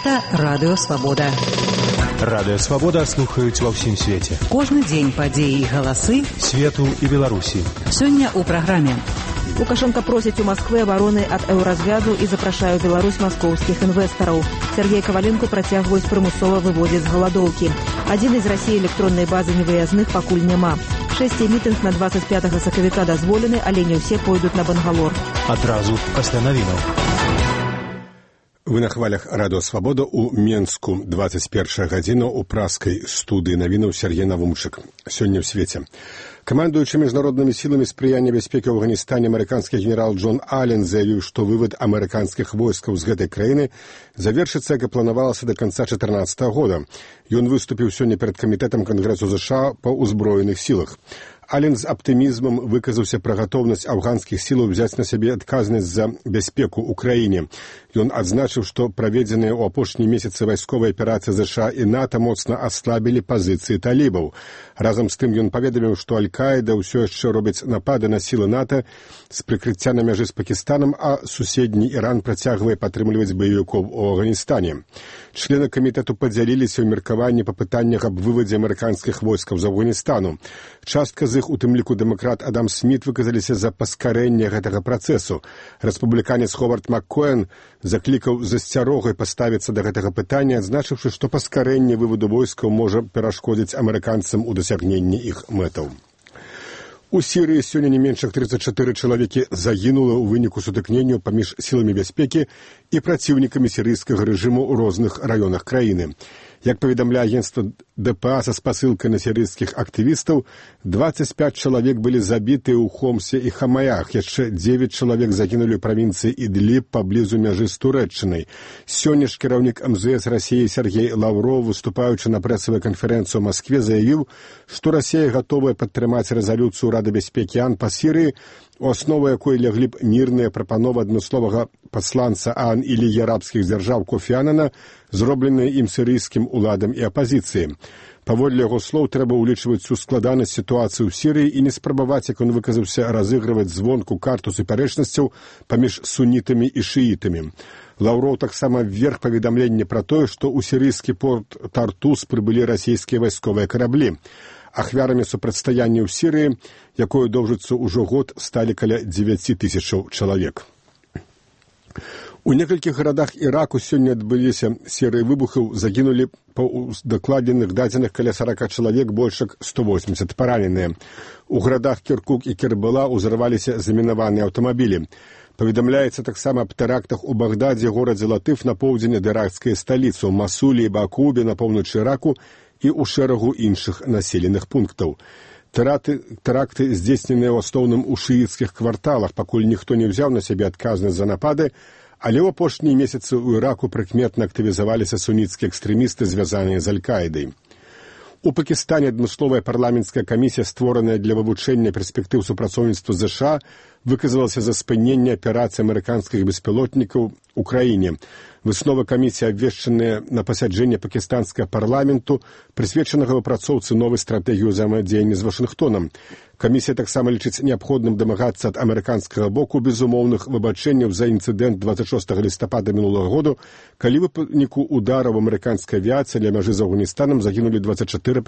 Гэта Радыё Свабода. Радыё Свабода слухаюць ва ўсім свеце. Кожны дзень падзеі і галасы свету і Беларусі. Сёння ў праграме. Лукашенко просіць у Москвы абароны ад еўразвязу і запрашае ў Беларусь маскоўскіх інвестараў. Сергей Коваленко працягваюць прымусова выводзіць з галадоўкі. Адзін з Расіі электроннай базы невыязных пакуль няма. 6 мітынг на 25 сакавіка дазволены, але не ўсе пойдуць на Бангалор. Адразу пасля навінаў. Вы на хвалях Радыё Свабода ў Менску. 21 гадзіна ў праскай студыі навінаў Сергей Навумчык. Сёння ў свеце. Камандуючы міжнароднымі сіламі спрыяння бяспекі ў Афганістане амерыканскі генерал Джон Аллен заявіў, што вывад амерыканскіх войскаў з гэтай краіны завершыцца, як і планавалася да канца 2014 года. Ён выступіў сёння перад камітэтам Кангрэсу ЗША па ўзброеных сілах. Аллен з аптымізмам выказаўся пра гатоўнасць афганскіх сілаў взяць на сябе адказнасць за бяспеку ў краіне. Ён адзначыў, што праведзеныя ў апошнія месяцы вайсковыя аперацыі ЗША і НАТО моцна аслабілі пазіцыі талібаў. Разам з тым ён паведаміў, што Аль-Каіда ўсё яшчэ робіць напады на сілы НАТО з прыкрыцця на мяжы з Пакістанам, а суседні Іран працягвае падтрымліваць баевікоў у Афганістане. Члены камітэту падзяліліся ў меркаванні па пытаннях аб вывадзе амерыканскіх войскаў з Афганістану. Частка з іх, у тым ліку дэмакрат Адам Сміт, выказаліся за паскарэнне гэтага працэсу. Рэспубліканец Ховард Маккоэн заклікаў з асцярогай паставіцца да гэтага пытання, адзначыўшы, што паскарэнне выводу войскаў можа перашкодзіць амерыканцам у дасягненні іх мэтаў. У Сірыі сёння не менш як 34 чалавекі загінула ў выніку сутыкненняў паміж сіламі бяспекі і праціўнікамі сірыйскага рэжыму ў розных раёнах краіны. Як паведамляе агенцтва ДПА са спасылкай на сірыйскіх актывістаў, 25 чалавек былі забітыя ў Хомсе і Хамаях, яшчэ 9 чалавек загінулі ў правінцыі Ідліб паблізу мяжы з Турэччынай. Сёння ж кіраўнік МЗС Расіі Сергей Лаўров, выступаючы на прэсавай канферэнцыі ў Маскве, заявіў, што Расія гатовая падтрымаць рэзалюцыю Рады бяспекі АН па Сірыі, у аснову якой ляглі б мірныя прапановы адмысловага пасланца АН і Лігі арабскіх дзяржаў Кофі Анана, зробленыя ім сірыйскім уладам і апазіцыі. Паводле яго слоў, трэба ўлічваць усю складанасць сітуацыі ў Сірыі і не спрабаваць, як он выказаўся, разыгрываць звонку карту супярэчнасцяў паміж сунітамі і шыітамі. Лаўроў таксама вверх паведамленне пра тое, што ў сірыйскі порт Тартус прыбылі расійскія вайсковыя караблі. Ахвярамі супрацьстаяння ў Сірыі, якое доўжыцца ўжо год, сталі каля 9 тысячаў чалавек. У некалькіх гарадах Іраку сёння адбыліся серыі выбухаў, загінулі па дакладзеных дадзеных каля 40 чалавек, больш як 180 параненыя. У гарадах Кіркук і Кербала ўзарваліся замінаваныя аўтамабілі. Паведамляецца таксама аб тэрактах у Багдадзе, горадзе Латыф на поўдзень ад іракскай сталіцы, у Масулі і Бакубе на поўначы Іраку і ў шэрагу іншых населеных пунктаў. Тэракты здзейсненыя ў асноўным у шыіцкіх кварталах, пакуль ніхто не ўзяў на сябе адказнасць за напады, але ў апошнія месяцы ў Іраку прыкметна актывізаваліся суніцкія экстрэмісты, звязаныя з Аль-Каідай. У Пакістане адмысловая парламенцкая камісія, створаная для вывучэння перспектыў супрацоўніцтва з ЗША, выказалася за спыненне аперацыі амерыканскіх беспілотнікаў у краіне. Высновы камісіі, абвешчаныя на пасяджэнне пакістанскага парламенту, прысвечанага выпрацоўцы новай стратэгіі ўзаемадзеяння з Вашынгтонам. Камісія таксама лічыць неабходным дамагацца ад амерыканскага боку безумоўных выбачэнняў за інцыдэнт 26 лістапада мінулага году, калі ў выніку удараў амерыканскай авіяцыі ля мяжы з Афганістанам загінулі 24